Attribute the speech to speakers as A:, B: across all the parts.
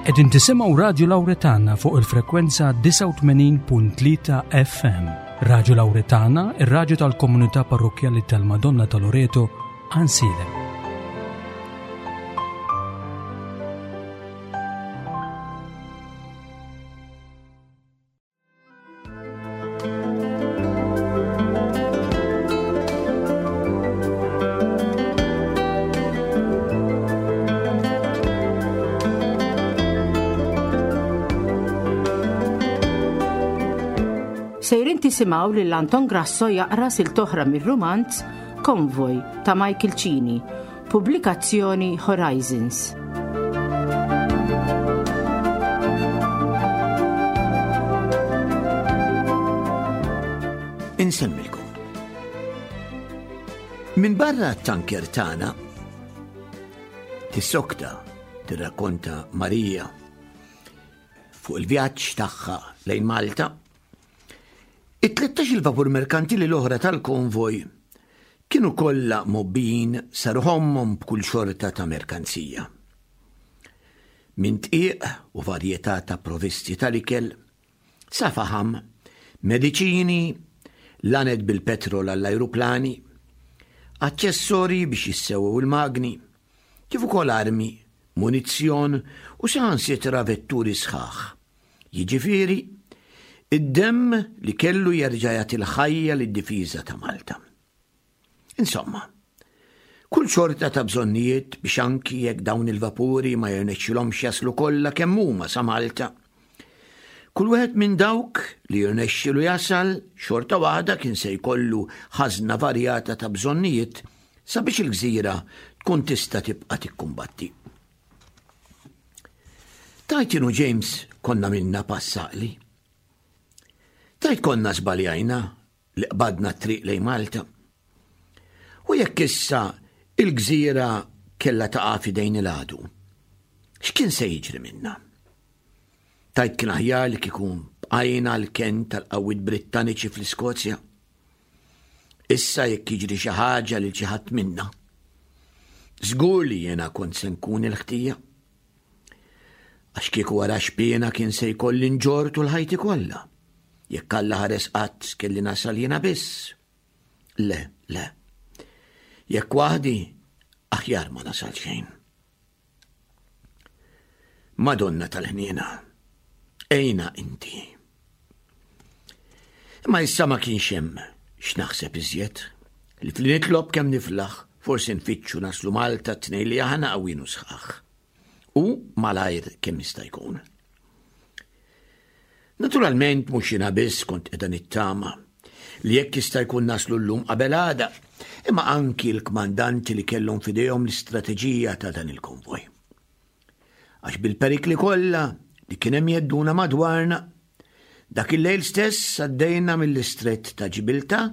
A: Qegħdin tisimgħu Radju Lawretana fuq il-frekwenza 89.3 FM. Radju Lawretana, ir-radju tal-komunità parrokkjali tal-Madonna ta' Loreto, Ansilem.
B: Sejrin tisimgħu lil Anton Grasso jaqra siltoħra mir-rumanz Konvoj ta' Michael Cini, pubblikazzjoni Horizons.
C: Insemmilkom. Min barra t-tanker tagħna tissokta tirrakkonta Marija fuq il-vjaġġ tagħha lejn Malta. It-13 il-vapur merkantili l-oħra tal-konvoj kienu kollha mgħobbijin sa ruħ ommhom b'kull xorta ta' merkanzija. Minn dqiq u varjetà ta' provisti tal-ikel, sa faħam, mediċini, laned bil-petrol għall-ajruplani, aċċessorji biex jissewwew il-magni, kif ukoll armi, munizzjon u saħansitra vetturi sħaħ. Jiġifieri, id-demm li kellu jerġa' jagħti l-ħajja lid-difiża ta' Malta. Insomma, kull xorta ta' bżonnijiet biex anki jekk dawn il-vapuri ma jirnexxilhomx jaslu kollha kemm huma sa Malta. Kull wieħed minn dawk li jirnexxilu jasal xorta waħda kien se jkollu ħażna varjata ta' bżonnijiet sabiex il-gżira tkun tista' tibqa' tikkumbatti. Tajt jien u James konna minna pass għaqli. Tajt konna żbaljajna li qbadna t-triq lejn Malta. U jekk issa il-gżira kellha taqa' f'idejn il-għadu, x'kien se jiġri minna? Tajt kien aħjar li kieku bqajna l-kenn tal-qawwiet Brittaniċi fl-Iskozja. Issa jekk jiġri xi ħaġa lil xi ħadd minna, żgur li jiena kont se nkun il-ħtija. Għax kieku wara xpiena kien se jkolli nġorr tul ħajti kollha. Jekk Alla ħares qatt kelli nasal jiena biss. Le, le. Jekk waħdi, aħjar ma nasal xejn. Madonna tal-ħniena, ejna inti. Imma issa ma kienx hemm x'naħseb iżjed li fli nitlob kemm niflaħ forsi nfittxu naslu Malta t-tnejn li aħna qawwin u sħaħ. U malajr kemm jista' jkun. Naturalment mhux jiena biss kont qiegħda nittama li jekk jista' jkun naslu llum qabel għada, imma anki l-kmandanti li kellhom f'idejhom l-istrateġija ta' dan il-konvoj. Għax bil-perikli kollha li kien hemm jedduna madwarna, dak il-lejl stess għaddejna mill-istrett ta' Ġibilta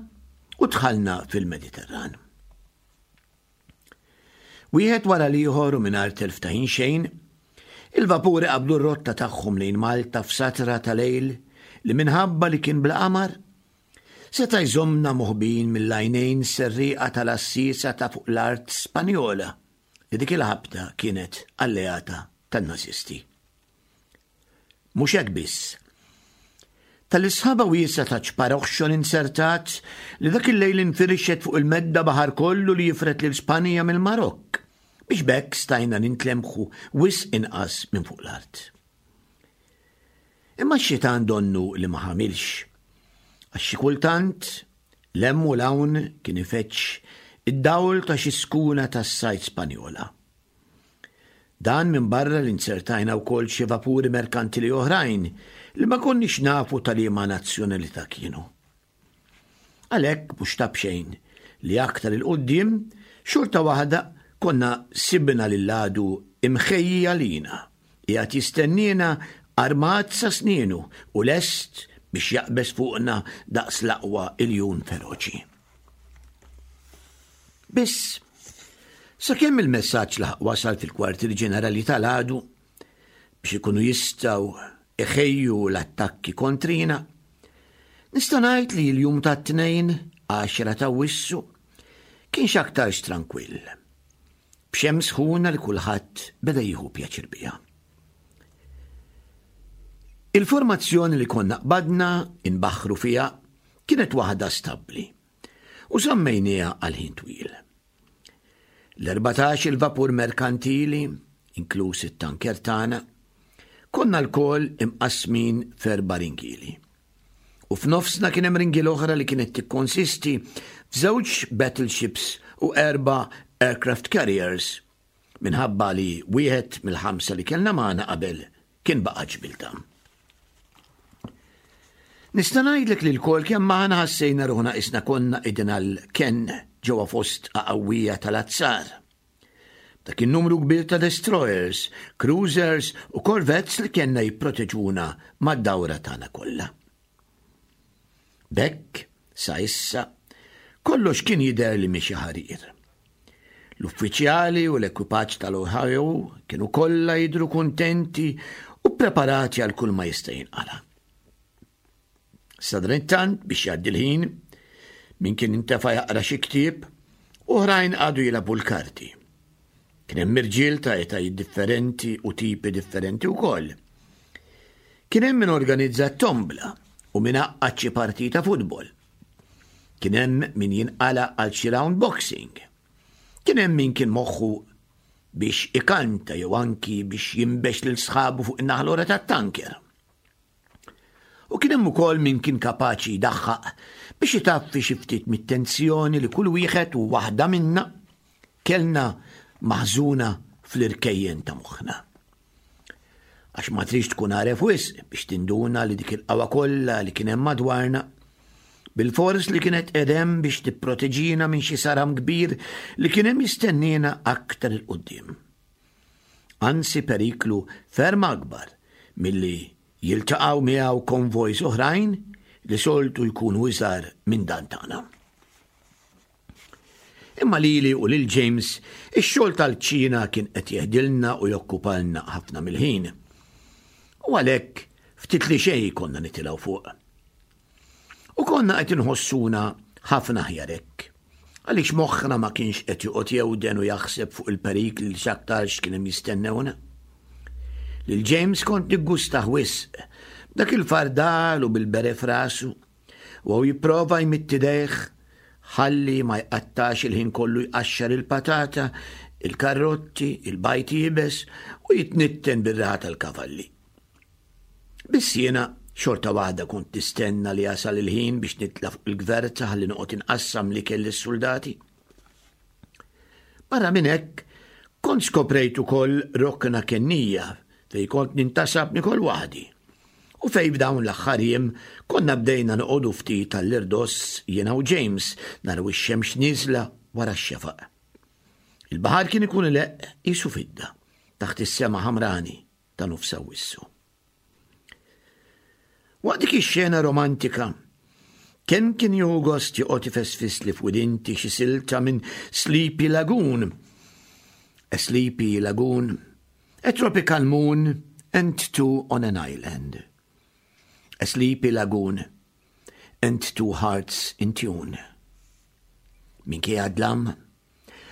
C: u dħalna fil-Mediterran. Wieħed wara l-ieħor u mingħajr telf ta' ħin xejn, il-vapuri qabdu r-rotta tagħhom lejn Malta f'satra ta' lejl li minħabba li kien bla qamar, seta' jżommna moħbijin mill-għajnejn serrieqa tal-għassiesa ta' fuq l-art Spanjola li dik il-ħabta kienet alleata tan-Nażisti. Mhux hekk biss. Tal-isħaba wiesgħa ta' ċpar oħxon inzertat li dak il-lejl infirixet fuq il-medda baħar kollu li jifred lil Spanja mill-Marokk, biex b'hekk stajna nintlemħu wisq inqas minn fuq l-art. Imma x-xitan donnu li ma ħamilx, għax xi kultant 'l hemm u 'l hawn kien ifeġġ id-dawl ta' xi skuna tas-sajd Spanjola. Dan minbarra li nzertajna wkoll xi vapuri merkantili oħrajn li ma konniex nafu ta' liema nazzjonalità kienu. Għalhekk mhux ta' b'xejn li aktar 'il quddiem xorta waħda konna sibna lill-għadu imħejji għalina, qiegħed jistenniena armat sa snienu u lest biex jaqbeż fuqna daqs l-aqwa iljun feroċi. Biss, sakemm il-messaġġ laħaq wasal fil-kwartieri ġenerali tal-għadu biex ikunu jistgħu iħejju l-attakki kontrina, nista' ngħid li l-jum tat-Tnejn, 10 ta' Awwissu, kien x'aktarx trankwill. B'xemx sħuna li kulħadd beda jieħu pjaċir biha. Il-formazzjoni li konna qbadna inbaħħru fiha kienet waħda stabbli u żammejnieha għal ħin twil. L-14 il-vapur merkantili, inkluż it-tanker tagħna, konna lkoll imqassmin f'erba' ringieli. U f'nofsna kien hemm ringiel oħra li kienet tikkonsisti f'żewġ battleships u erba' aircraft carriers minħabba li wieħed mill-ħamsa li kellna magħna qabel kien baqa' ġbilta. Nista' ngħidlek li lkoll kemm aħna ħassejna ruħna qisna konna qegħdin għal kenn ġewwa fost qawwija tal-azzar. Dak in-numru kbir ta' destroyers, cruisers u corvettes li kellna jipproteġuna mad-dawra tagħna kollha. B'hekk, sa issa, kollox kien jidher li miexi ħarir. L-uffiċjali u l-ekwipaġġ tal-Ohio kienu kollha jidhru kuntenti u ppreparati għal kull ma jista' jinqala'. Sadanittant biex jgħaddi l-ħin, min kien intefa' jaqra xi ktieb, oħrajn qagħdu jilagħbu l-karti. Kien hemm irġiel ta' etajiet differenti u tipi differenti wkoll. Kien hemm min organizza t-tombla u min għaqqad xi partita futbol. Kien hemm min jinqala' għal xi round boxing. Kien hemm min kien moħħu biex ikanta jew anki biex jinbex lil sħabu fuq in-naħa l-oħra tat-tanker. U kien hemm ukoll min kien kapaċi jdaħħaq biex itaffi xi ftit mit-tensjoni li kull wieħed u waħda minna kellna maħżuna fl-irkejjen ta' moħħna. Għax ma trix tkun għaref wisq biex tinduna li dik il-qawwa kollha li kien hemm madwarna bilfors li kienet edem biex tipproteġina minn xi saram kbir li kien hemm jistenniena aktar il-qudiem. Anzi periklu ferm akbar milli jiltaqgħu miegħu konvojs oħrajn li soltu jkunu iżgħar minn dan tagħna. Imma lili u lil James ix-xogħol tal-kċina kien qed jeħdilna u jokkupalna ħafna mill-ħin. U għalhekk ftit li xejn konna nitilgħu fuq. U konna qed inħossuna ħafna aħjar hekk. Għaliex moħħna ma kienx qed joqgħod jewden u jaħseb fuq il-perikli li x'aktarx kien hemm jistennewna. Lil James kont niggustah wisq, b'dak il-fardal u bil-bere f'rasu, u hawn jipprova jmidd idejh ħalli ma jqattax il-ħin kollu jqaxxar il-patata, il-karrotti, il-bajd iebes u jitnitten bir-riħa tal-kavalli. Biss jiena xorta waħda kont nistenna li jasal il-ħin biex nitla' fuq il-gverta ħalli noqgħod inqassam l-ikel lis-suldati. Barra minn hekk, kont skoprejt ukoll rokna kennija fejn kont nintasab nikol waħdi u fejn f'dawn l-aħħar jiem konna bdejna noqogħdu ftit għall-irdoss jiena u James naraw ix-xemx nieżla wara x-xefaq. Il-baħar kien ikun ileqq qisu fidda taħt is-sema ħamrani ta' nofs Awwissu. Waqt dik ix-xena romantika, kemm kien jieħu gost joqgħod ifesfisli f'widinti xi silta minn Sleepy Lagoon. A Sleepy Lagoon, a Tropical Moon and Two on an Island. A Sleepy Lagoon and Two Hearts in Tune. Minkejja dlam,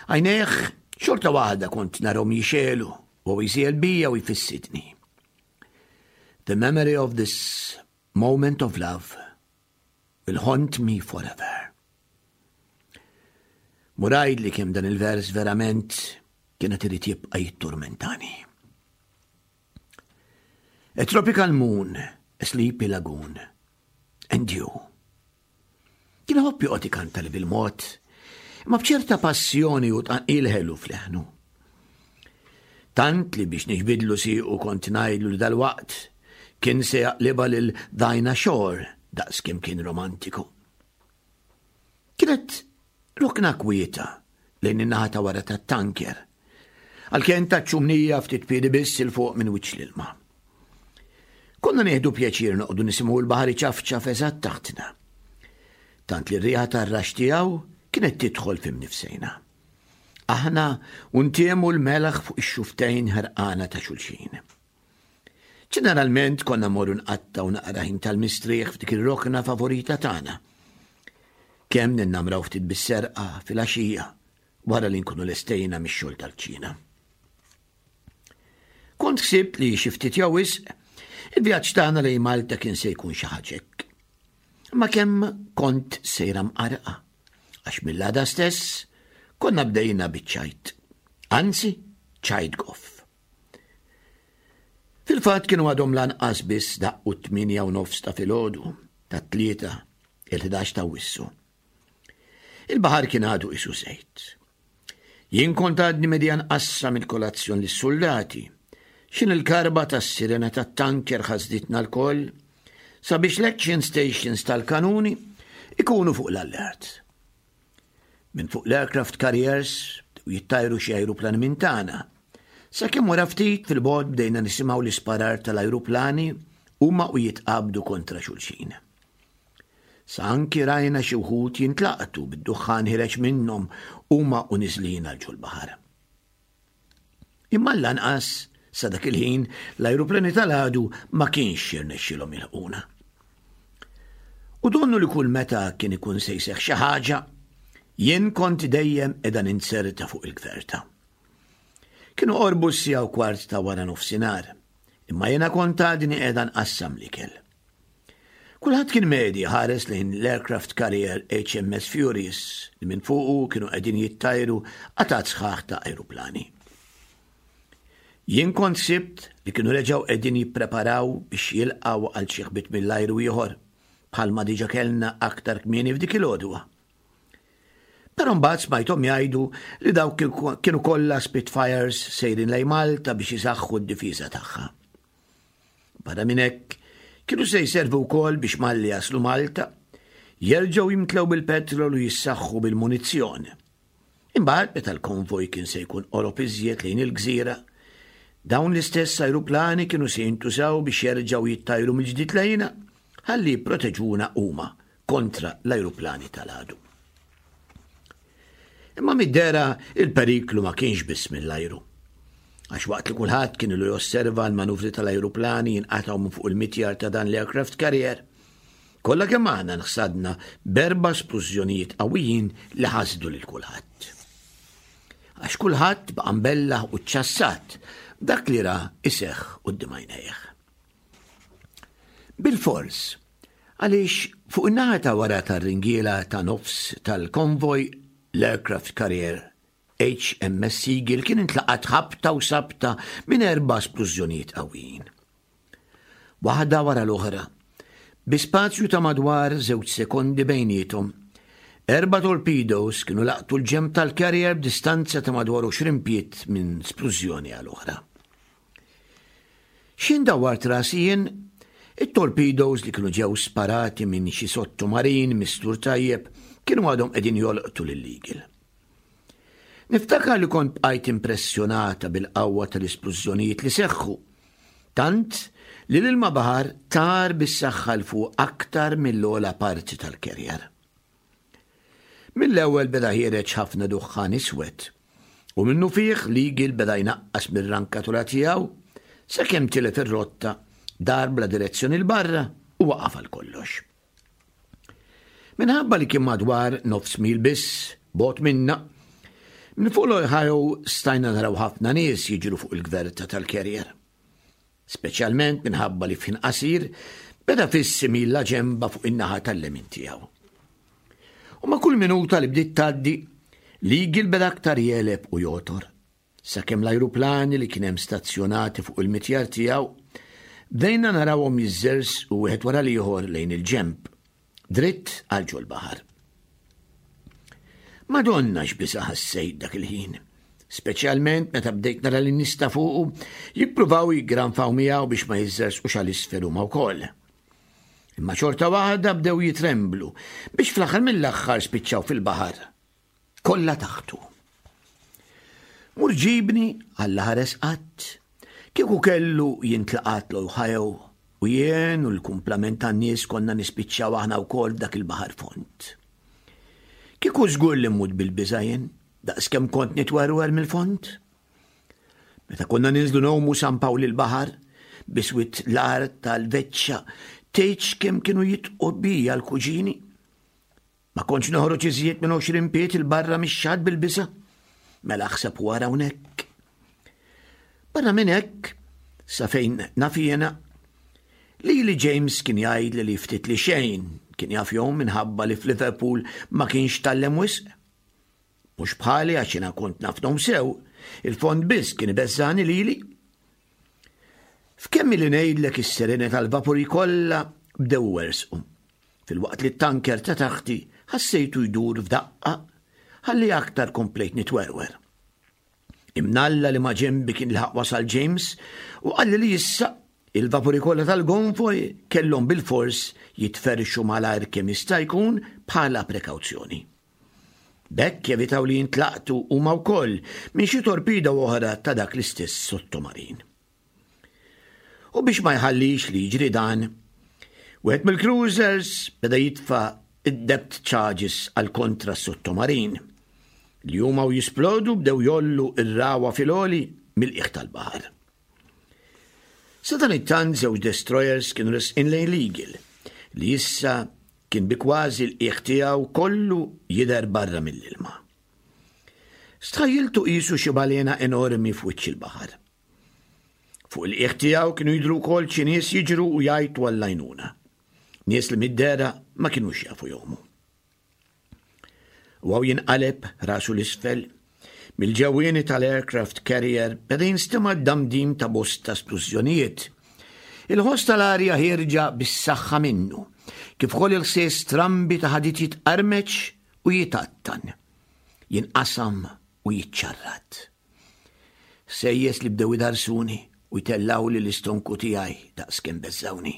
C: Għajnejh xorta waħda kont narhom jixegħlu u jsiel bija u jfissidni. The memory of this moment of love will haunt me forever. Murajd li kemm dan il-vers verament kienet irid jibqa' jitturmentani. A tropical moon, a sleepy lagoon, and you. Kien iħobb joqgħod ikanta li bil-mod, imma b'ċerta passjoni u tqanqil ħelu f'leħnu. Tant li biex niġbidlu siequ kont ngħidlu li dalwaqt kien se jaqlibha lil Dinah Shore daqs kemm kien romantiku. Kienet rokna kwieta lejn in-naħa ta' wara tat-tanker. Għalkemm taċ-ċumnija ftit piedi biss 'il fuq minn wiċċ l-ilma. Konna nieħdu pjaċir noqogħdu nisimgħu l-baħar iċafċaf eżatt taħtna. Tant li r-riħa tar-rax tiegħu kienet tidħol fi mnifsejna. Aħna u ntiemu l-melaħ fuq ix-xuftejn ħerqana ta' xulxin. Ġeneralment konna morru nqattgħu naqra ħin tal-mistrieħ f'dik ir-rokna favorita tagħna. Kemm ninnamraw ftit bis-serqa fil-għaxija wara li nkunu lestejna mix-xogħol tal-kċina. Kont ħsibt li xi ftit jew wisq, Il-vjaġġ tagħna lejn Malta kien se jkun xi ħaġa hekk. Imma kemm kont sejra mqarqa, għax mill-għada stess konna bdejna biċ-ċajt. Anzi, ċajt goff. Fil-fatt kienu għadhom lanqas biss daqqu t-tmienja u nofs ta' filgħodu tat-Tlieta, il-11 ta' Awwissu. Il-baħar kien għadu qisu żejt. Jien kont għadni medja nqassam il-kolazzjon lis-suldati. X'in il-karba tas-sirena tat-tanker ħasditna lkoll sabiex l-action stations tal-kanuni ikunu fuq l-allert. Minn fuq l-aircraft carriers bdew jittajru xi ajruplani minn tagħna. Sakemm wara ftit fil-bogħod bdejna nisimgħu l-isparar tal-ajruplani huma u jitqabdu kontra xulxin. Sa anki rajna xi wħud jintlaqtu bid-duħħan ħireġ minnhom huma u niżlin għal ġol-baħar. Imma lanqas sa dak il-ħin l-ajruplani tal-għadu ma kienx jirnexxilhom jilħquna. U donnu li kull meta kien ikun se jseħħ xi ħaġa, jien kont dejjem qiegħda ninzerta fuq il-gverta. Kienu qorbu s-siegħa u kwart ta' wara nofsinhar, imma jiena kont għadni qiegħda nqassam l-ikel. Kulħadd kien medi ħares lejn l-aircraft carrier HMS Furious li minn fuqu kienu qegħdin jittajru qatat sħaħ ta' ajruplani. Jien kont sibt li kienu reġgħu qegħdin jippreparaw biex jilqgħu għal xi ħbit mill-ajru ieħor bħalma diġa kellna aktar kmieni f'dik il-għodwa. Però mbagħad smajthom jgħidu li dawk kienu kollha Spitfires sejrin lejn Malta biex isaħħu d-difiża tagħha. Barra minn hekk, kienu se jservu wkoll biex malli jaslu Malta, jerġgħu jimtlew bil-petrol u jissaħħu bil-munizzjon. Imbagħad meta l-konvoj kien se jkun qorob iżjed lejn il-gżira, dawn l-istess ajruplani kienu se jintużaw biex jerġgħu jittajru mill-ġdid lejna ħalli jipproteġuna huma kontra l-ajruplani tal-għadu. Imma mid-dehra il-periklu ma kienx biss mill-ajru. Għax waqt li kulħadd kien ilu josserva l-manuvri tal-ajruplani jinqatgħu minn fuq il-mitjar ta' dan l-aircraft carrier, kollha kemm aħna nħsadna b'erba' splużjonijiet qawwijin li ħasdu lil kulħadd. Għax kulħadd baqa' mbellaħ u ċċassat b'dak li ra iseħħ quddiem għajnejh. Bilfors, għaliex fuq in-naħa ta' wara tar-ringiela ta' nofs tal-konvoj l-aircraft carrier HMS Eagle kien intlaqat ħabta u sabta minn erba' splużjonijiet qawwijin. Waħda wara l-oħra, bi spazju ta' madwar żewġ sekondi bejniethom, erba' torpedoes kienu laqtu l-ġenb tal-carrier b'distanza ta' madwar 20 pied minn splużjoni għal oħra. X'ħin dawwart rasi jien, it-torpedoes li kienu ġew sparati minn xi sottomarin mistur tajjeb kienu għadhom qegħdin jolqtu lil Eagle. Niftakar li kont bqajt impressjonata bil-qawwa tal-isplużjonijiet li seħħu, tant li l-ilma baħar tar bis-saħħa 'l fuq aktar mill-ogħla parti tal-carrier. Mill-ewwel beda ħiereġ ħafna duħħan iswed, u minnufih l-Eagle beda jnaqqas mir-rankatura tiegħu sakemm tilef ir-rotta, dar bla direzzjoni 'l barra u waqaf għal kollox. Minħabba li kien madwar nofs mil biss bogħod minna, minn fuq l-Ohio stajna naraw ħafna nies jiġru fuq il-gverta tal-carrier. Speċjalment minħabba li f'ħin qasir beda fiss imil la ġenba fuq in-naħa tal-lemin tiegħu. U ma' kull minuta li bdiet tgħaddi, l-Eagle beda aktar jegħleb u jogħtor, sakemm l-ajruplani li kien hemm stazzjonati fuq il-mitjar tiegħu bdejna narawhom jiżżersqu wieħed wara l-ieħor lejn il-ġenb, dritt għal ġol-baħar. Madonna x'biża' ħassejt dak il-ħin, speċjalment meta bdejt nara lin-nies ta' fuqu jippruvaw jiggranfaw miegħu biex ma jiżżersqux għal isfel huma wkoll. Imma xorta waħda bdew jitremblu biex fl-aħħar mill-aħħar spiċċaw fil-baħar. Kollha taħtu. Mur ġibni Alla ħares qatt. Kieku kellu jintlaqat l-Ohio u jien u l-kumplament tan-nies konna nispiċċaw aħna wkoll f'dak il-baħar fond. Kieku żgur li mmut bil-biża' jien, daqskemm kont nitwerwer mill-fond. Meta konna ninżlu ngħumu San Pawl il-baħar, biswit l-art tal-veċċa, tgħidx kemm kienu jitqu bija l-kuġini. Ma kontx noħroġ iżjed minn 20 pied 'il barra mix-xatt bil-biża'. Mela aħseb u ara hawnhekk. Barra minn hekk, sa fejn naf jiena, Lili James kien jgħidli li ftit li xejn kien jaf jgħum minħabba li f'Liverpool ma kienx tgħallem wisq. Mhux bħali għax jiena kont naf ngħum sew, il-fond biss kien ibeżżagħni lili. F'kemm ili ngħidlek is-sirene tal-vapuri kollha bdew iwerżqu, filwaqt li t-tanker ta' taħti ħassejtu jdur f'daqqa ħalli aktar komplejt nitwerwer. Imnalla li ma' ġenbi kien laħaq wasal James u qalli li issa il-vapuri kollha tal-gonvoj kellhom bilfors jitferrxu malajr kemm jista' jkun bħala prekawzjoni. B'hekk jevitaw li jintlaqtu huma wkoll minn xi torpida oħra ta' dak l-istess sottomarin. U biex ma jħallix li jiġri dan, wieħed mill-cruisers beda jitfa' id-depth charges għal kontra s-sottomarin li huma u jisplodu bdew jollu ir-rawa fil-għoli mill-qiegħ tal-baħar. Sadanittant żewġ destroyers kienu resqin lejn l-Eagle li issa kien bi kważi l-qiegħ tiegħu kollu jidher barra mill-ilma. Stħajjiltu qisu xi balena enormi f'wiċċ il-baħar. Fuq il-qiegħ tiegħu kienu jidhru wkoll xi nies jiġru u jgħajtu għall-għajnuna. Nies li mid-dehra ma kinux jafu jgħumu. U hawn jinqaleb rasu l-isfel, mill-ġewwieni tal-aircraft carrier beda jinstema' d-damdim ta' bosta splużjonijiet. Il-ħoss tal-arja ħierġa bis-saħħa minnu, kif ukoll il-ħsies strambi ta' ħadid jitqarmeċ u jitgħattan, jinqasam u jiċċarrat. Ħsejjes li bdew idarsuni u jtellgħuli l-istonku tiegħi daqskemm beżżgħuni.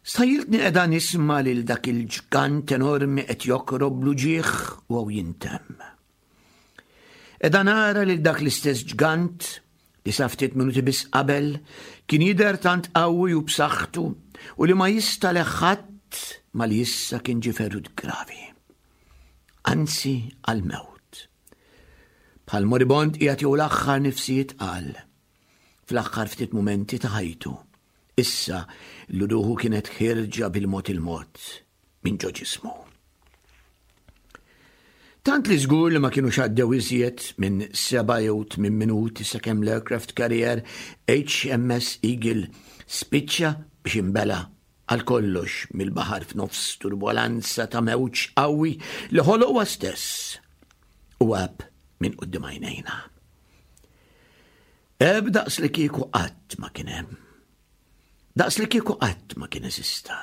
C: Stħajjiltni qiegħda nisma' lil dak il-ġgant enormi qed jokrob bl-uġigħ u hawn jintemm. Qiegħda nara lil dak l-istess ġgant li sa ftit minuti biss qabel kien jidher tant qawwi u b'saħħtu u li ma jista' ħadd ma li issa kien ġie ferut gravi. Anzi għall-mewt. Bħal moribond qiegħed jew l-aħħar nifsijiet qal fl-aħħar ftit mumenti ta' ħajtu. Issa li ruħu kienet ħierġa bil-mod il-mod minn ġo ġismu. Tant li żgur li ma kinux għaddew iżjed minn seba' jew tmien minuti sakemm l-aircraft carrier HMS Eagle spiċċa biex imbela għal kollox mill-baħar f'nofs turbolanza ta' mewġ qawwi li ħoloq huwa stess u għab minn quddiem għajnejna. Għeb daqs li kieku qatt ma kien hemm. Daqs li kieku qatt ma kien eżista.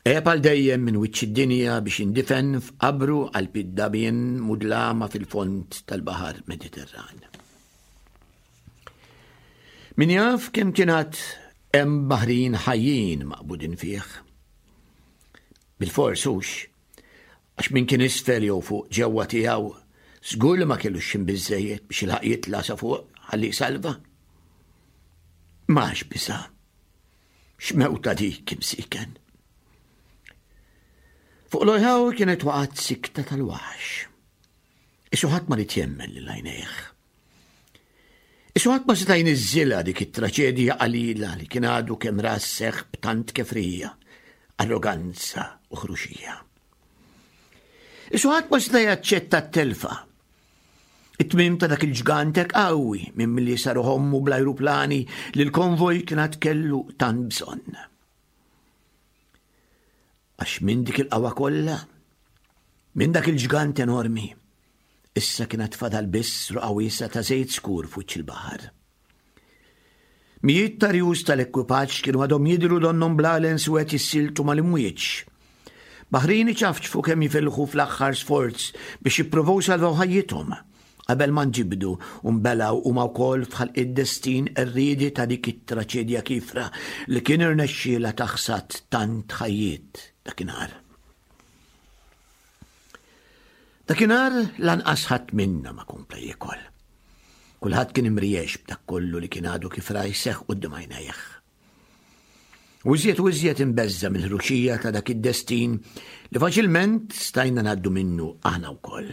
C: Għeb għal dejjem minn wiċċ id-dinja biex jindifen f'qabru għal piddabien mudlama fil-fond tal-Baħar Mediterran. Min jaf kemm kien għad hemm baħrin ħajjin maqbudin fih. Bil-fors hux, Għax min kien isfel jew fuq ġewwa tiegħu, żgur li ma kellux x'ħin biżżejjed biex jilħaq jitla' sa fuq ħalli jsalva. M'għax biża'. X'mewta dik imsiken. Fuq l-ojħaw kienet waqgħet sikta tal-waħx. Isu ħadd ma rid jemmen lil għajnejh. Isu ħadd ma seta' jniżżilha dik it-traċedija qalila li kien għadu kemm ra sseħħ b'tant kefrija, arroganza u ħruxija. Isu ħadd ma seta' jaċċetta t-telfa. It-tmiem ta' dak il-ġgant hekk qawwi minn milli saru ħommu bl-ajruplani li l-konvoj kien għad kellu tant bżonn. Għax minn dik il-qawwa kollha, minn dak il-ġgant enormi, issa kien għad fadal biss roqgħa wiesgħa ta' żejt skur f'wiċċ il-baħar. Mijiet ta' rjus tal-ekwipaġġ kienu għadhom jidhru donnhom blalen suwed jissiltu mal-imwieġ. Baħrin iċafċfu kemm jifilħu fl-aħħar sforz biex jippruvaw salvaw ħajjithom qabel ma nġibdu u nbelgħu huma wkoll f'ħalq id-destin qerriedi ta' dik it-traċedja kiefra li kien irnexxielha taħsad tant ħajjiet dakinhar. Dakinhar lanqas ħadd minna ma kompla jiekol. Kulħadd kien imriex b'dak kollu li kien għadu kif ra jseħħ quddiem għajnejh. U iżjed u iżjed imbeżża' mill-ħruxija ta' dak id-destin li faċilment stajna ngħaddu minnu aħna wkoll.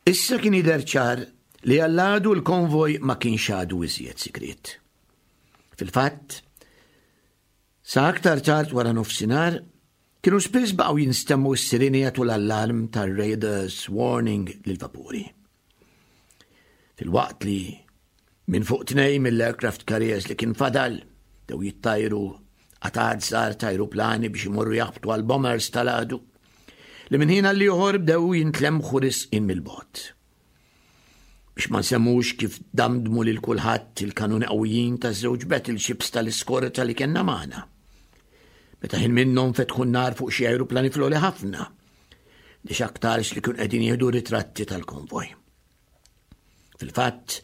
C: Issa kien jidher ċar li għall-għadu l-konvoj ma kienx għadu iżjed sigriet. Fil-fatt, sa aktar tard wara nofsinhar, kienu spiss baqgħu jinstemmu s-sirini jagħtu l-allarm tar-radars warning lill-vapuri. Filwaqt li Minn fuq tnej mill-aircraft carriers li kien fadal, dew jittajru qatgħat żgħar ta' ajruplani biex imorru jaħbtu għal bombers tal-għadu, li minn ħin għal ieħor bdew jintlemħu risqin mill-bogħod. Biex ma nsemmux kif damdmu lil kulħadd il-kanuni qawwijin taż-żewġ battleships tal-iskorta li kellna magħna. Meta ħin minnhom fetħu n-nar fuq xi ajruplani floli ħafna, li x'aktarx li kienu qegħdin jieħdu ritratti tal-konvoj. Fil-fatt,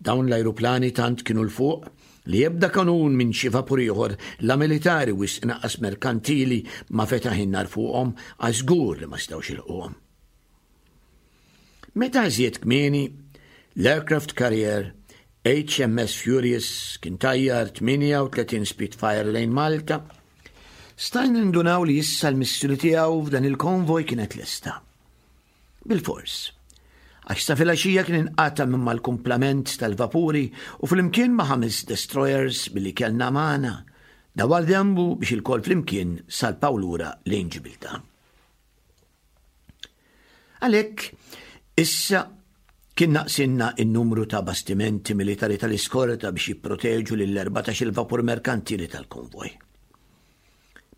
C: dawn l-ajruplani tant kienu 'l fuq li ebda kanun minn xi vapur ieħor la militari wisq inqas merkantili ma fetaħ in-nar fuqhom għax żgur li ma setgħux jilħquhom. Meta iżjed kmieni, l-aircraft carrier HMS Furious kien tajjar 38 Spitfire lejn Malta, stajna nindunaw li issa l-missjoni tiegħu f'dan il-konvoj kienet lesta. Bilfors. Għax sa filgħaxija kien inqata' minn mal-kumplament tal-vapuri u flimkien ma' ħames destroyers billi kellna magħna, dawar denbu biex ilkoll flimkien salpaw lura lejn Ġibiltà. Għalhekk, issa kien naqsinna n-numru ta' bastimenti militari tal-iskorta biex jipproteġu lill-14 il-vapur merkantili tal-konvoj.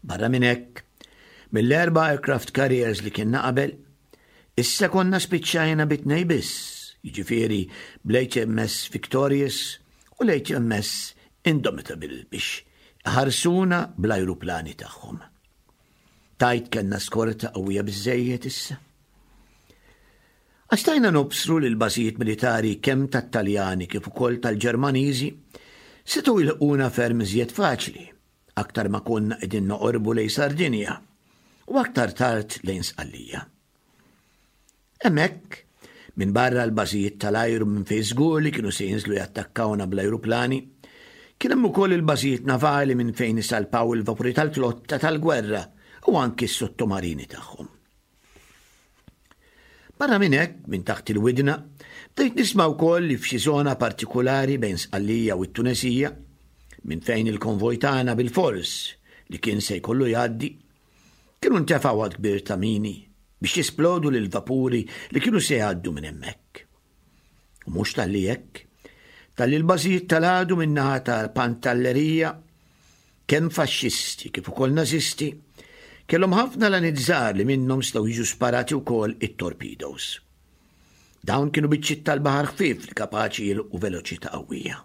C: Barra minn hekk, mill-erba' aircraft carriers li kienna qabel, issa konna spiċċajna bi tnej biss, jiġifieri bl-HMS Victorious u l-HMS Indomitable biex iħarsuna bl-ajruplani tagħhom. Tgħid kellna skorta qawwija biżżejjed issa? Għax stajna nobsru li l-bażijiet militari kemm tat-Taljani kif ukoll tal-Ġermaniżi setgħu jilħquna ferm iżjed faċli aktar ma konna qegħdin noqorbu lejn Sardinja u aktar tard lejn Sqallija. Hemmhekk, minbarra l-bażijiet tal-ajru minn fejn żgur li kienu se jinżlu jattakkawna bl-ajruplani, kien hemm ukoll il-bażijiet navali minn fejn isalpaw il-vapuri tal-flotta tal-gwerra u anki s-sottomarini tagħhom. Barra minn hekk, minn taħt il-widna, bdejt nisma' wkoll li f'xi żona partikulari bejn Sqallija u t-Tunesija, minn fejn il-konvoj tagħna bilfors li kien se jkollu jgħaddi, kienu ntefgħu għadd kbir ta' mini biex jisplodu lill-vapuri li kienu se jgħaddu minn hemmhekk. U mhux talli hekk, talli l-bażijiet tal-għadu min-naħa ta' Pantallerija Kemm faxxisti kif ukoll Nażisti kellhom ħafna laniet żgħar li minnhom setgħu jiġu sparati wkoll it-torpedoes. Dawn kienu biċċiet tal-baħar ħfief li kapaċi jilħqu veloċità qawwija.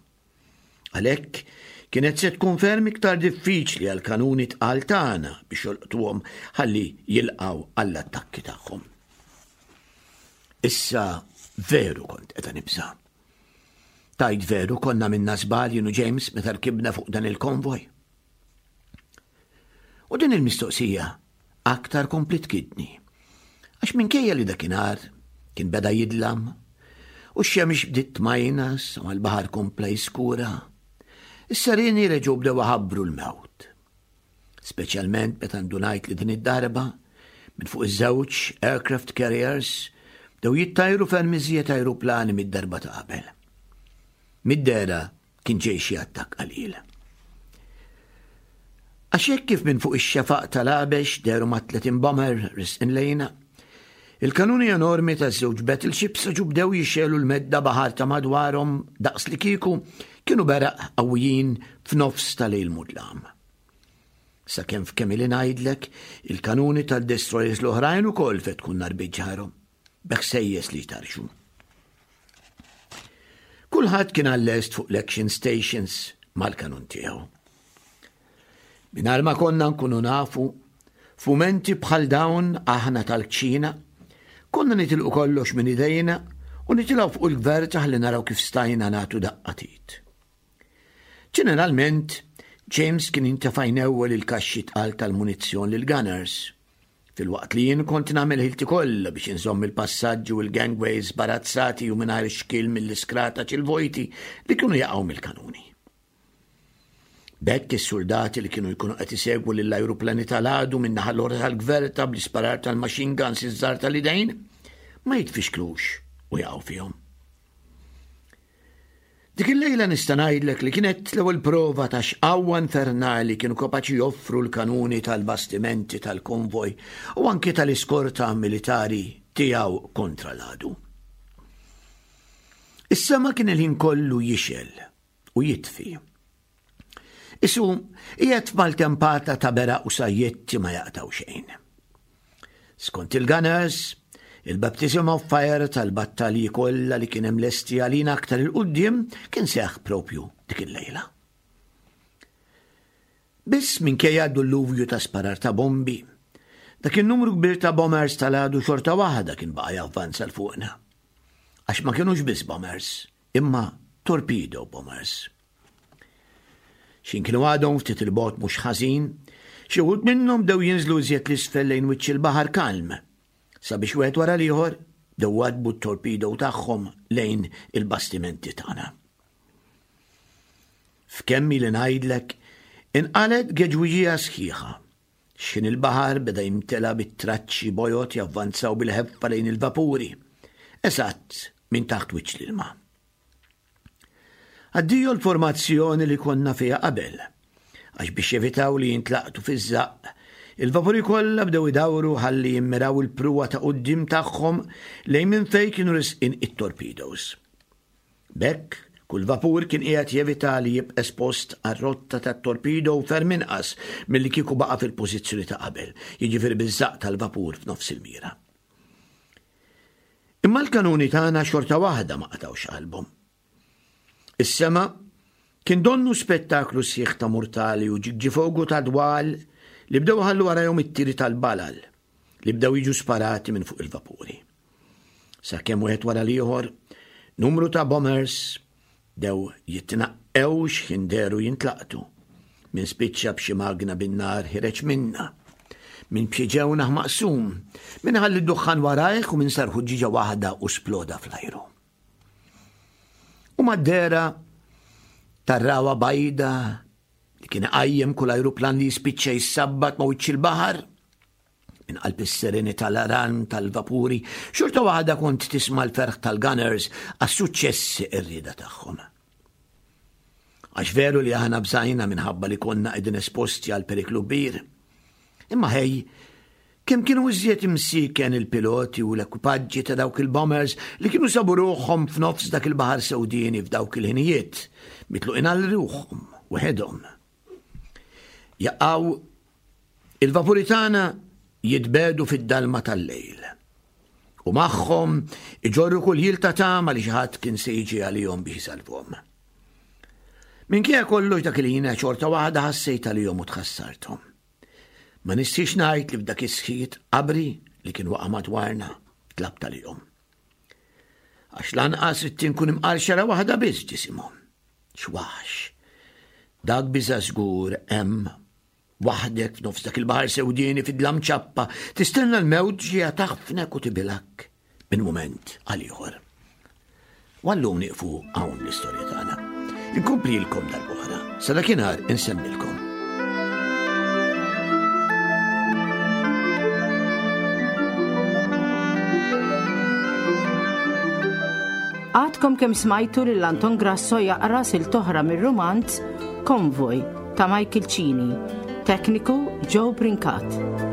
C: Għalhekk, kienet se tkun ferm iktar diffiċli għall-kanuni tqal tagħna biex jolqtuhom ħalli jilqgħu għall-attakki tagħhom. Issa veru kont qiegħda nibża'. Tgħid veru konna minna żball jien u James meta rkibna fuq dan il-konvoj? U din il-mistoqsija aktar kompli tkidni. Għax minkejja li dakinhar kien beda jidlam u x-xemx bdiet tmajnas u l-baħar kompla jiskura, is-serini reġgħu bdew iħabbru l-mewt. Speċjalment meta ndunajt li din id-darba, minn fuq iż-żewġ aircraft carriers, bdew jittajru ferm iżjed ajruplani mid-darba ta' qabel. Mid-dehra kien ġej xi attakk qalil. Għax hekk kif minn fuq ix-xefaq tal-għabex dehru ma' 30 bomber risqin lejna, il-kanuni enormi taż-żewġ battleships reġgħu bdew jixegħlu l-medda baħar ta' madwarhom daqs li kieku kienu beraq qawwijin f'nofs ta' lejl mudlam. Sakemm f'kemm ili ngħidlek, il-kanuni tad-destroyers l-oħrajn ukoll fetħu n-nar bi ġarhom, bi ħsejjes li jtarxu. Kulħadd kien għal-lest fuq l-action stations mal-kanun tiegħu. Mingħajr ma konna nkunu nafu, f'mumenti bħal dawn aħna tal-kċina, konna nitilqu kollox minn idejna u nitilgħu fuq il-gverta ħalli naraw kif stajna nagħtu daqqa t'id. Ġeneralment, James kien jintefa' jnewwel il-kaxxi tqal tal-munizzjon lill-gunners, filwaqt li jien kont nagħmel ħilti kollha biex inżomm il-passaġġi u l-gangways sbarazzati u mingħajr xkiel mill-iskrataċ il-vojti li kienu jaqgħu mill-kanuni. B'hekk is-suldati li kienu jkunu qed isegwu lill-ajruplani tal-għadu min-naħa l-oħra tal-gverta bl-isparar tal-machine guns iż-żgħar tal-idejn ma jitfixklux u jaqgħu fihom. Dik il-lejla nista' ngħidlek li kienet l-ewwel prova ta' x'qawwa infernali kienu kapaċi joffru l-kanuni tal-bastimenti tal-konvoj u anki tal-iskorta militari tiegħu kontra l-għadu. Is-sema kien il-ħin kollu jixgħel u jitfi. Isu qiegħed f'maltempata ta' beraq u sajjetti ma jaqtgħu xejn. Skont il-Gunners, il-baptism of fire tal-battalji kollha li kien hemm lesti għalina aktar il-quddiem kien seħħ propju dik il-lejla. Biss minkejja d-dulluvju ta' sparar ta' bombi, dak in-numru kbir ta' bombers tal-għadu xorta waħda kien baqa' javvanza 'l fuqna. Għax ma kinux biss bombers, imma torpedo bombers. X'in kienu għadhom ftit il-bogħod mhux ħażin, xi wħud minnhom bdew jinżlu iżjed l-isfel lejn wiċċ il-baħar kalm, sabiex wieħed wara l-ieħor bdew wadbu t-torpedo tagħhom lejn il-bastimenti tagħna. F'kemm ili ngħidlek, inqalgħet geġwiġija sħiħa. X'ħin il-baħar beda jimtela bit-traċċi bojod javvanzaw bil-ħeffa lejn il-vapuri, eżatt minn taħt wiċċ l-ilma. Addio l-formazzjoni li konna fiha qabel, għax biex jevitaw li jintlaqtu fiż-żaqq, il-vapuri kollha bdew idawru ħalli jimmiraw il-pruwa ta' quddiem tagħhom lejn minn fejn kienu resqin it-torpedoes. B'hekk, kull vapur kien qiegħed jevita li jibqa' espost għar-rotta tat-torpedo ferm inqas milli kieku baqa' fil-pożizzjoni ta' qabel, jiġifieri biż-żaqq tal-vapur f'nofs il-mira. Imma l-kanuni tagħna xorta waħda ma qatgħux qalbhom. Is-sema kien donnu spettaklu sħiħ ta' murtali u ġigġifogu ta' dwal li bdew ħallu warajhom it-tiri tal-balal li bdew jiġu sparati minn fuq il-vapuri. Sakemm wieħed wara l-ieħor, numru ta' bombers dew jitnaqqew x'ħin dehru jintlaqtu. Min spiċċa b'xi magna bin-nar ħireġ minnha. Min b'xi ġewnaħ maqsum, min ħalli d-duħħan warajh u min sar ħuġġieġa waħda u sploda fl-ajru. U mad-dehra tar-rawa bajda li kien iqajjem kull ajruplan li jispiċċa jissabbat ma' wiċċ il-baħar, Minn qalb is-serenità l-alarm tal-vapuri, xorta waħda kont tisma' l-ferħ tal-gunners għas-suċċessi qerrieda tagħhom. Għax veru li aħna bżajna minħabba li konna qegħdin esposti għal periklu kbir. Imma ħej, kemm kienu iżjed imsiken il-piloti u l-ekwipaġġi ta' dawk il-bombers li kienu sabu ruħhom f'nofs dak il-baħar sewdieni f'dawk il-ħinijiet, mitluqin għal ruħhom weħedhom. Jaqgħu Il-vapuri tagħna jitbegħdu fid-dalma tal-lejl. U magħhom iġorru kull ħil ta' tama li xi ħadd kien se jiġi għalihom biex isalvhom. Minkejja kollox dak il-ħin xorta waħda ħassejt għalihom u tħassarthom. Ma nistiex ngħid li f'dak is-sħiet qabri li kien waqa' madwarna tlabt għalihom. Għax lanqas ridt inkun imqar xara waħda biss ġisimhom. X'waħx. Dak biża' żgur hemm Waħdek f'nofs dak il-baħar sewdieni fid-dlam ċappa, tistenna l-mewt ġejja taħfnek u tibilgħek minn mument għal ieħor. U għallum nieqfu hawn l-istorja tagħna. Inkomplilkom darb'oħra, sa dakinhar insemmilkom.
B: Għadkom kemm smajtu lil Anton Grasso jaqra silta oħra mir-rumanz Konvoj ta' Michael Cini, tekniku Joe Brincat.